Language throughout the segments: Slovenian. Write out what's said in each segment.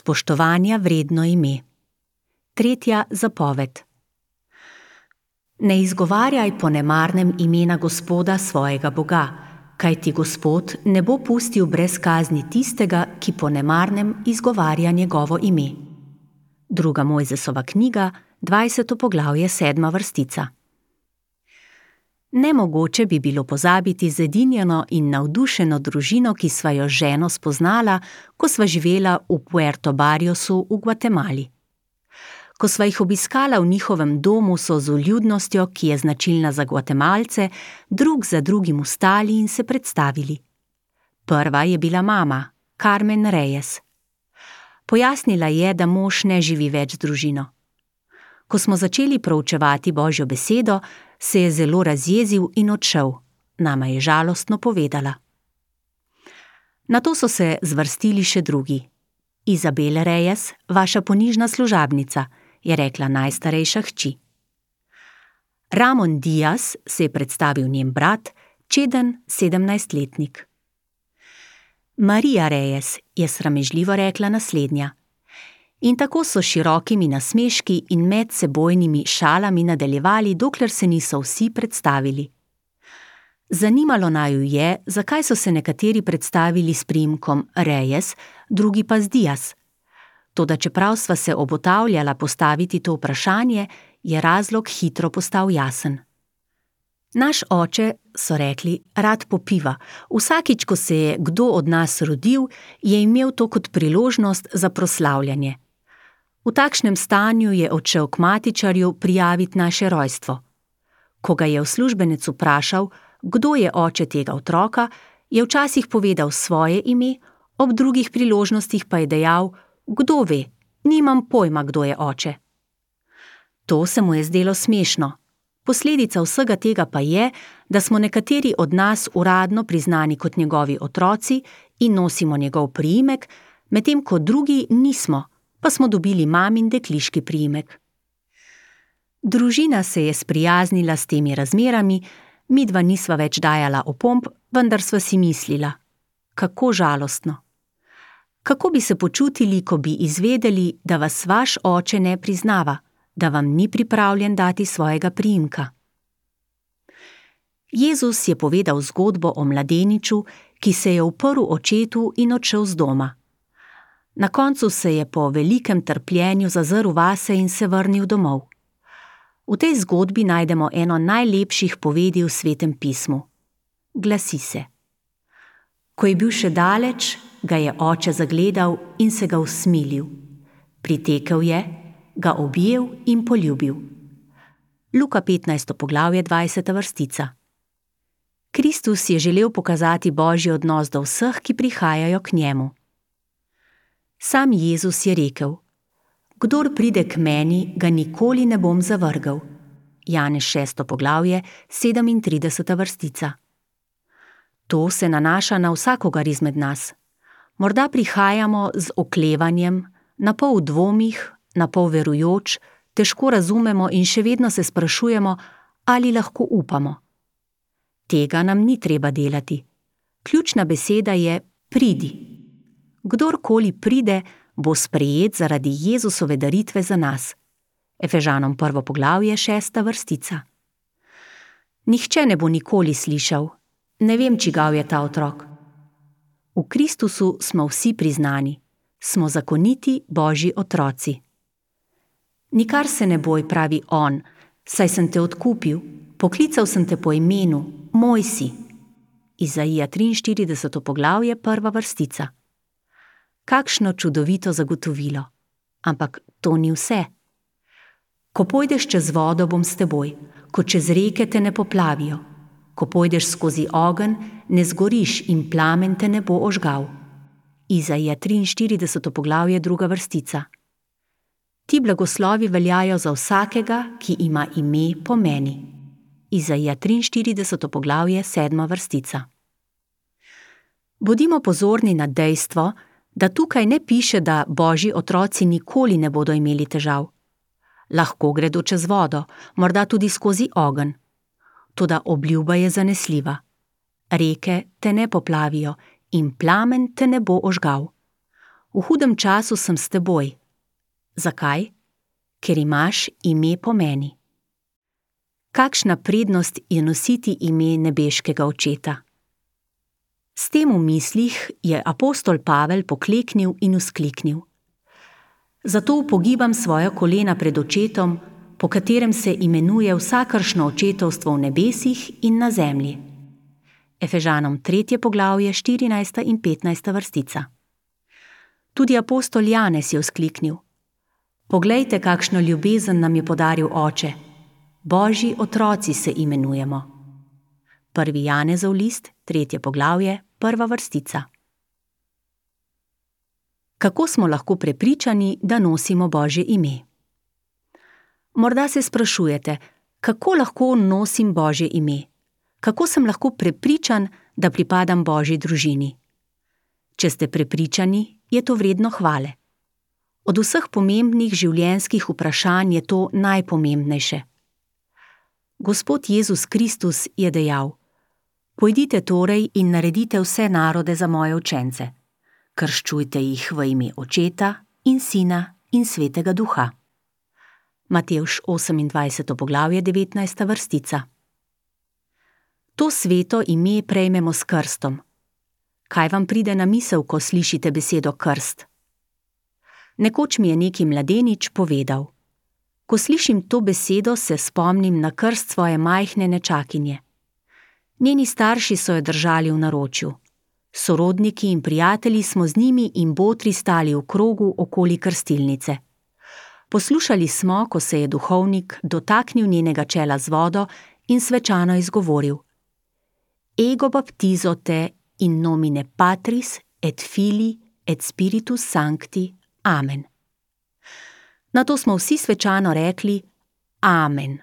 Spoštovanja vredno ime. 3. zapoved. Ne izgovarjaj po nemarnem imena Gospoda svojega Boga, kajti Gospod ne bo pustil brez kazni tistega, ki po nemarnem izgovarja njegovo ime. 2. Mojzesova knjiga, 20. poglavje, 7. vrstica. Nemogoče bi bilo pozabiti zedinjeno in navdušeno družino, ki sva jo z ženo spoznala, ko sva živela v Puerto Barriosu v Gvatemali. Ko sva jih obiskala v njihovem domu, so z vljudnostjo, ki je značilna za Gvatemalce, drug za drugim vstali in se predstavili. Prva je bila mama, Carmen Reyes. Pojasnila je, da mož ne živi več z družino. Ko smo začeli proučevati Božjo besedo, se je zelo razjezil in odšel, nama je žalostno povedala. Nato so se zvrstili še drugi. Izabel Reyes, vaša ponižna služabnica, je rekla najstarejša hči. Ramon Diaz, se je predstavil njen brat, čeden 17-letnik. Maria Reyes, je sramežljivo rekla naslednja. In tako so širokimi nasmeški in medsebojnimi šalami nadaljevali, dokler se niso vsi predstavili. Zanimalo naju je, zakaj so se nekateri predstavili s priimkom Reyes, drugi pa z Diaz. Toda čeprav sva se obotavljala postaviti to vprašanje, je razlog hitro postal jasen. Naš oče, so rekli, rad popiva. Vsakič, ko se je kdo od nas rodil, je imel to kot priložnost za proslavljanje. V takšnem stanju je odšel k matičarju prijaviti naše rojstvo. Ko ga je uslužbenec vprašal, kdo je oče tega otroka, je včasih povedal svoje ime, ob drugih priložnostih pa je dejal, kdo ve, nimam pojma, kdo je oče. To se mu je zdelo smešno. Posledica vsega tega pa je, da smo nekateri od nas uradno priznani kot njegovi otroci in nosimo njegov priimek, medtem ko drugi nismo, pa smo dobili mamin dekliški priimek. Družina se je sprijaznila s temi razmerami, midva nisva več dajala opomb, vendar sva si mislila, kako žalostno. Kako bi se počutili, ko bi izvedeli, da vas vaš oče ne priznava, da vam ni pripravljen dati svojega priimka? Jezus je povedal zgodbo o mladeniču, ki se je uprl očetu in odšel z doma. Na koncu se je po velikem trpljenju zazrl vase in se vrnil domov. V tej zgodbi najdemo eno najlepših povedi v Svetem pismu. Glasi se: Ko je bil še daleč, ga je oče zagledal in se ga usmilil. Pritekel je, ga objel in poljubil. Luka 15. poglavje, 20. vrstica. Kristus je želel pokazati Božji odnos do vseh, ki prihajajo k njemu. Sam Jezus je rekel: Kdor pride k meni, ga nikoli ne bom zavrgel. Janez 6. poglavje, 37. vrstica. To se nanaša na vsakogar izmed nas. Morda prihajamo z oklevanjem, napol v dvomih, napol verujoč, težko razumemo in še vedno se sprašujemo, ali lahko upamo. Tega nam ni treba delati. Ključna beseda je pridi. Kdorkoli pride, bo sprejet zaradi Jezusove daritve za nas. Efežanom 1. poglavje, 6. vrstica. Nihče ne bo nikoli slišal: Ne vem, čigav je ta otrok. V Kristusu smo vsi priznani. Smo zakoniti Božji otroci. Nikar se ne boj, pravi on, saj sem te odkupil, poklical sem te po imenu, moj si. Izaija 43. poglavje, 1. vrstica. Kakšno čudovito zagotovilo. Ampak to ni vse. Ko pojdeš čez vodo, bom s teboj, ko čez reke te ne poplavijo. Ko pojdeš skozi ogenj, ne zgoriš in plamen te ne bo ožgal. Izaija 43. poglavje, 2. vrstica. Ti blagoslovi veljajo za vsakega, ki ima ime po meni. Izaija 43. poglavje, 7. vrstica. Bodimo pozorni na dejstvo, da tukaj ne piše, da Božji otroci nikoli ne bodo imeli težav. Lahko gredo čez vodo, morda tudi skozi ogenj. Toda obljuba je zanesljiva. Reke te ne poplavijo in plamen te ne bo ožgal. V hudem času sem s teboj. Zakaj? Ker imaš ime po meni. Kakšna prednost je nositi ime nebeškega Očeta? S tem v mislih je apostol Pavel pokleknil in vzkliknil: Zato upogibam svoja kolena pred Očetom, po katerem se imenuje vsakršno očetovstvo v nebesih in na zemlji. Efežanom 3. poglavje, 14. in 15. vrstica. Tudi apostol Janez je vzkliknil: Poglejte, kakšno ljubezen nam je podaril Oče. Božji otroci se imenujemo. 1. Janezov list, 3. poglavje, 1. vrstica. Kako smo lahko prepričani, da nosimo Božje ime? Morda se sprašujete, kako lahko nosim Božje ime? Kako sem lahko prepričan, da pripadam Božji družini? Če ste prepričani, je to vredno hvale. Od vseh pomembnih življenjskih vprašanj je to najpomembnejše. Gospod Jezus Kristus je dejal: Pojdite torej in naredite vse narode za moje učence. Krščujte jih v ime Očeta in Sina in Svetega Duha. Matevž 28. poglavje, 19. vrstica. To sveto ime prejmemo s krstom. Kaj vam pride na misel, ko slišite besedo krst? Nekoč mi je neki mladenič povedal: Ko slišim to besedo, se spomnim na krst svoje majhne nečakinje. Njeni starši so jo držali v naročju. Sorodniki in prijatelji smo z njimi in botri stali v krogu okoli krstilnice. Poslušali smo, ko se je duhovnik dotaknil njenega čela z vodo in svečano izgovoril: Ego baptizo te in nomine Patris et Filii et Spiritus Sancti. Amen. Nato smo vsi svečano rekli: Amen.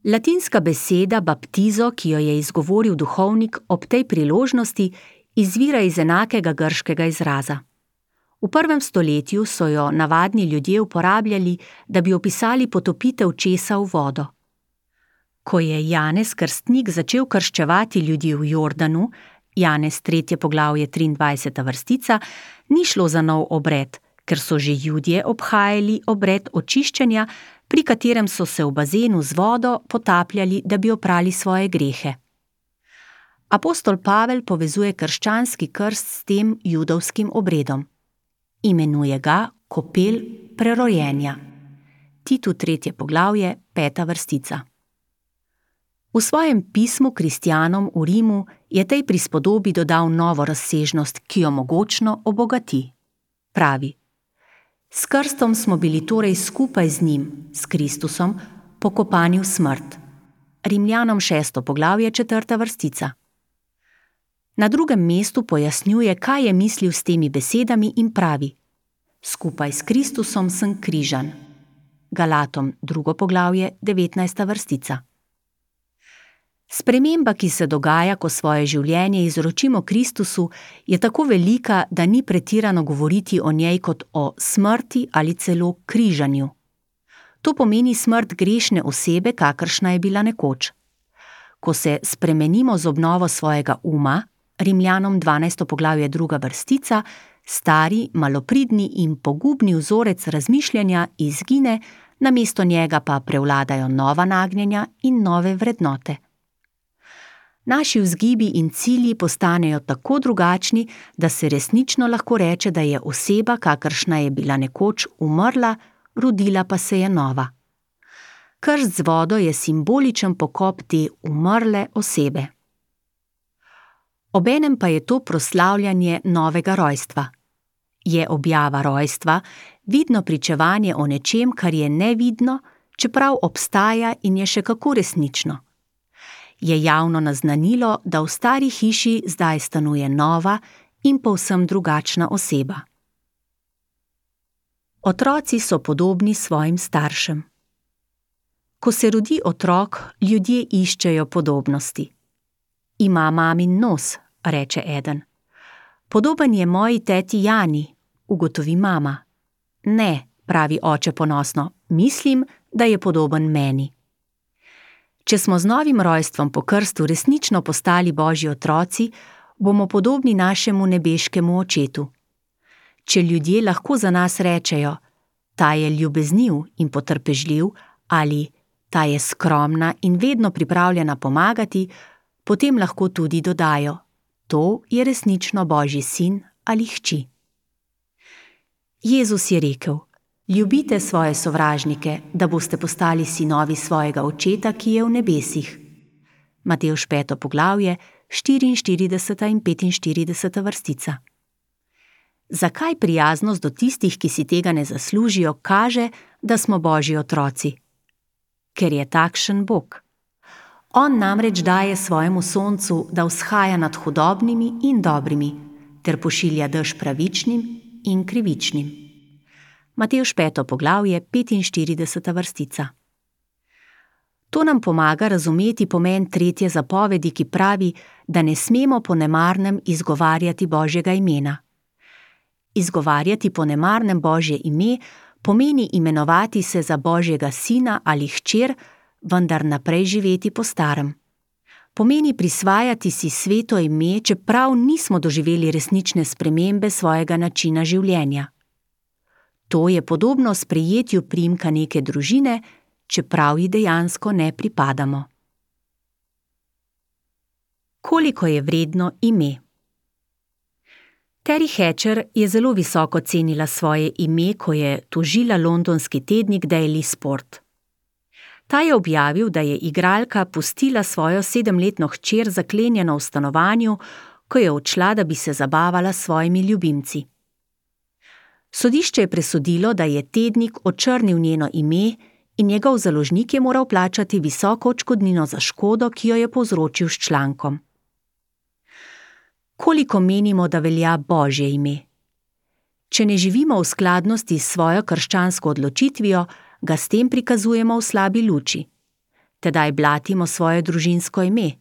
Latinska beseda baptizo, ki jo je izgovoril duhovnik ob tej priložnosti, izvira iz enakega grškega izraza. V 1. stoletju so jo navadni ljudje uporabljali, da bi opisali potopitev česa v vodo. Ko je Janez Krstnik začel krščevati ljudi v Jordanu, Janez 3. poglavje, 23. vrstica, ni šlo za nov obred, ker so že Judje obhajali obred očiščenja, pri katerem so se v bazenu z vodo potapljali, da bi oprali svoje grehe. Apostol Pavel povezuje krščanski krst s tem judovskim obredom. Imenuje ga kopel prerojenja. Titu 3. poglavje, 5. vrstica. V svojem pismu kristjanom v Rimu je tej prispodobi dodal novo razsežnost, ki jo mogočno obogati. Pravi: S krstom smo bili torej skupaj z njim, s Kristusom, pokopani v smrt. Rimljanom 6. poglavje, 4. vrstica. Na drugem mestu pojasnjuje, kaj je mislil s temi besedami in pravi: Skupaj s Kristusom sem križan. Galatom 2. poglavje, 19. vrstica. Sprememba, ki se dogaja, ko svoje življenje izročimo Kristusu, je tako velika, da ni pretirano govoriti o njej kot o smrti ali celo križanju. To pomeni smrt grešne osebe, kakršna je bila nekoč. Ko se spremenimo z obnovo svojega uma, Rimljanom 12. poglavje, 2. vrstica, stari, malopridni in pogubni vzorec razmišljanja izgine, namesto njega pa prevladajo nova nagnjenja in nove vrednote. Naši vzgibi in cilji postanejo tako drugačni, da se resnično lahko reče, da je oseba, kakršna je bila nekoč, umrla, rodila pa se je nova. Krst z vodo je simboličen pokop te umrle osebe. Obenem pa je to proslavljanje novega rojstva. Je objava rojstva vidno pričevanje o nečem, kar je nevidno, čeprav obstaja in je še kako resnično. Je javno naznanilo, da v stari hiši zdaj stanuje nova in povsem drugačna oseba. Otroci so podobni svojim staršem. Ko se rodi otrok, ljudje iščejo podobnosti. Ima mamin nos, reče eden. Podoben je moji teti Jani, ugotovi mama. Ne, pravi oče ponosno, mislim, da je podoben meni. Če smo z novim rojstvom po krstu resnično postali Božji otroci, bomo podobni našemu nebeškemu Očetu. Če ljudje lahko za nas rečejo, ta je ljubezniv in potrpežljiv, ali ta je skromna in vedno pripravljena pomagati, potem lahko tudi dodajo, to je resnično Božji sin ali hči. Jezus je rekel, ljubite svoje sovražnike, da boste postali sinovi svojega Očeta, ki je v nebesih. Matevž 5. poglavje, 44. in 45. vrstica. Zakaj prijaznost do tistih, ki si tega ne zaslužijo, kaže, da smo Božji otroci? Ker je takšen Bog. On namreč daje svojemu soncu, da vzhaja nad hudobnimi in dobrimi, ter pošilja dež pravičnim in krivičnim. Matevž 5. poglavje, 45. vrstica. To nam pomaga razumeti pomen 3. zapovedi, ki pravi, da ne smemo po nemarnem izgovarjati Božjega imena. Izgovarjati po nemarnem Božje ime pomeni imenovati se za Božjega sina ali hčer, vendar naprej živeti po starem. Pomeni prisvajati si sveto ime, čeprav nismo doživeli resnične spremembe svojega načina življenja. To je podobno sprejetju priimka neke družine, čeprav ji dejansko ne pripadamo. Koliko je vredno ime? Terry Hatcher je zelo visoko cenila svoje ime, ko je tožila londonski tednik Daily Sport. Ta je objavil, da je igralka pustila svojo 7-letno hčer zaklenjeno v stanovanju, ko je odšla, da bi se zabavala s svojimi ljubimci. Sodišče je presodilo, da je tednik očrnil njeno ime in njegov založnik je moral plačati visoko odškodnino za škodo, ki jo je povzročil s člankom. Koliko menimo, da velja Božje ime? Če ne živimo v skladnosti s svojo krščansko odločitvijo, ga s tem prikazujemo v slabi luči. Tedaj blatimo svoje družinsko ime.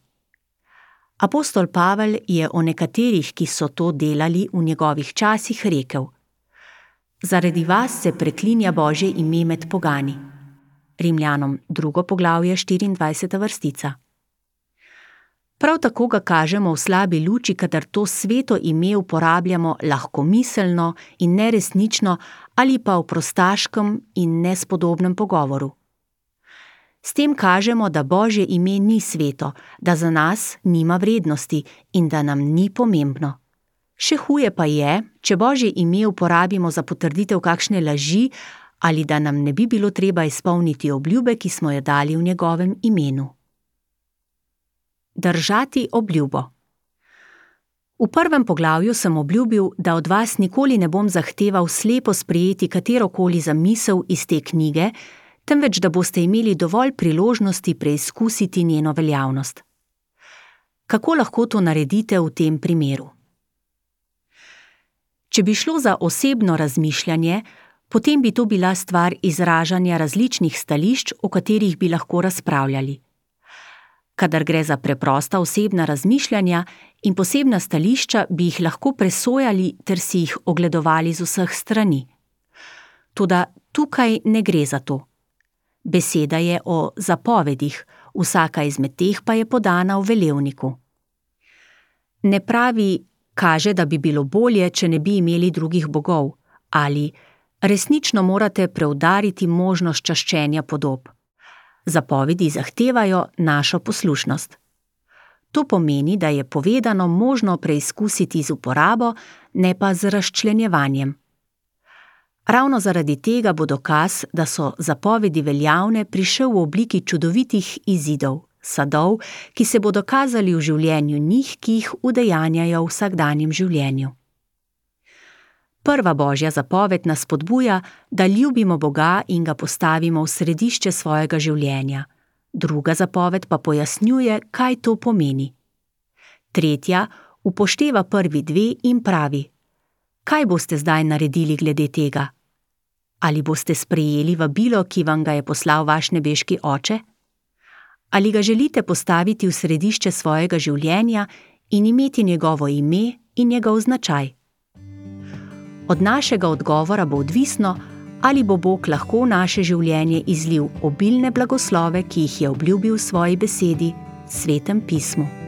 Apostol Pavel je o nekaterih, ki so to delali v njegovih časih, rekel: Zaradi vas se preklinja Božje ime med pogani. Rimljanom 2. poglavje, 24. vrstica. Prav tako ga kažemo v slabi luči, kadar to sveto ime uporabljamo lahkomiselno in neresnično ali pa v prostaškem in nespodobnem pogovoru. S tem kažemo, da Božje ime ni sveto, da za nas nima vrednosti in da nam ni pomembno. Še huje pa je, če Božje ime uporabimo za potrditev kakšne laži ali da nam ne bi bilo treba izpolniti obljube, ki smo jo dali v njegovem imenu. Držati obljubo. V 1. poglavju sem obljubil, da od vas nikoli ne bom zahteval slepo sprejeti katerokoli zamisel iz te knjige, temveč da boste imeli dovolj priložnosti preizkusiti njeno veljavnost. Kako lahko to naredite v tem primeru? Če bi šlo za osebno razmišljanje, potem bi to bila stvar izražanja različnih stališč, o katerih bi lahko razpravljali. Kadar gre za preprosta osebna razmišljanja in posebna stališča, bi jih lahko presojali ter si jih ogledovali z vseh strani. Toda tukaj ne gre za to. Beseda je o zapovedih, vsaka izmed teh pa je podana v velevniku. Ne pravi, kaže, da bi bilo bolje, če ne bi imeli drugih bogov, ali resnično morate preudariti možnost čaščenja podob. Zapovedi zahtevajo našo poslušnost. To pomeni, da je povedano možno preizkusiti z uporabo, ne pa z razčlenjevanjem. Ravno zaradi tega bo dokaz, da so zapovedi veljavne, prišel v obliki čudovitih izidov, sadov, ki se bodo kazali v življenju njih, ki jih udejanjajo v vsakdanjem življenju. Prva Božja zapoved nas spodbuja, da ljubimo Boga in ga postavimo v središče svojega življenja. Druga zapoved pa pojasnjuje, kaj to pomeni. Tretja upošteva prvi dve in pravi: kaj boste zdaj naredili glede tega? Ali boste sprejeli vabilo, ki vam ga je poslal vaš nebeški Oče? Ali ga želite postaviti v središče svojega življenja in imeti njegovo ime in njegov značaj? Od našega odgovora bo odvisno, ali bo Bog lahko v naše življenje izlil obilne blagoslove, ki jih je obljubil v svoji besedi, Svetem pismu.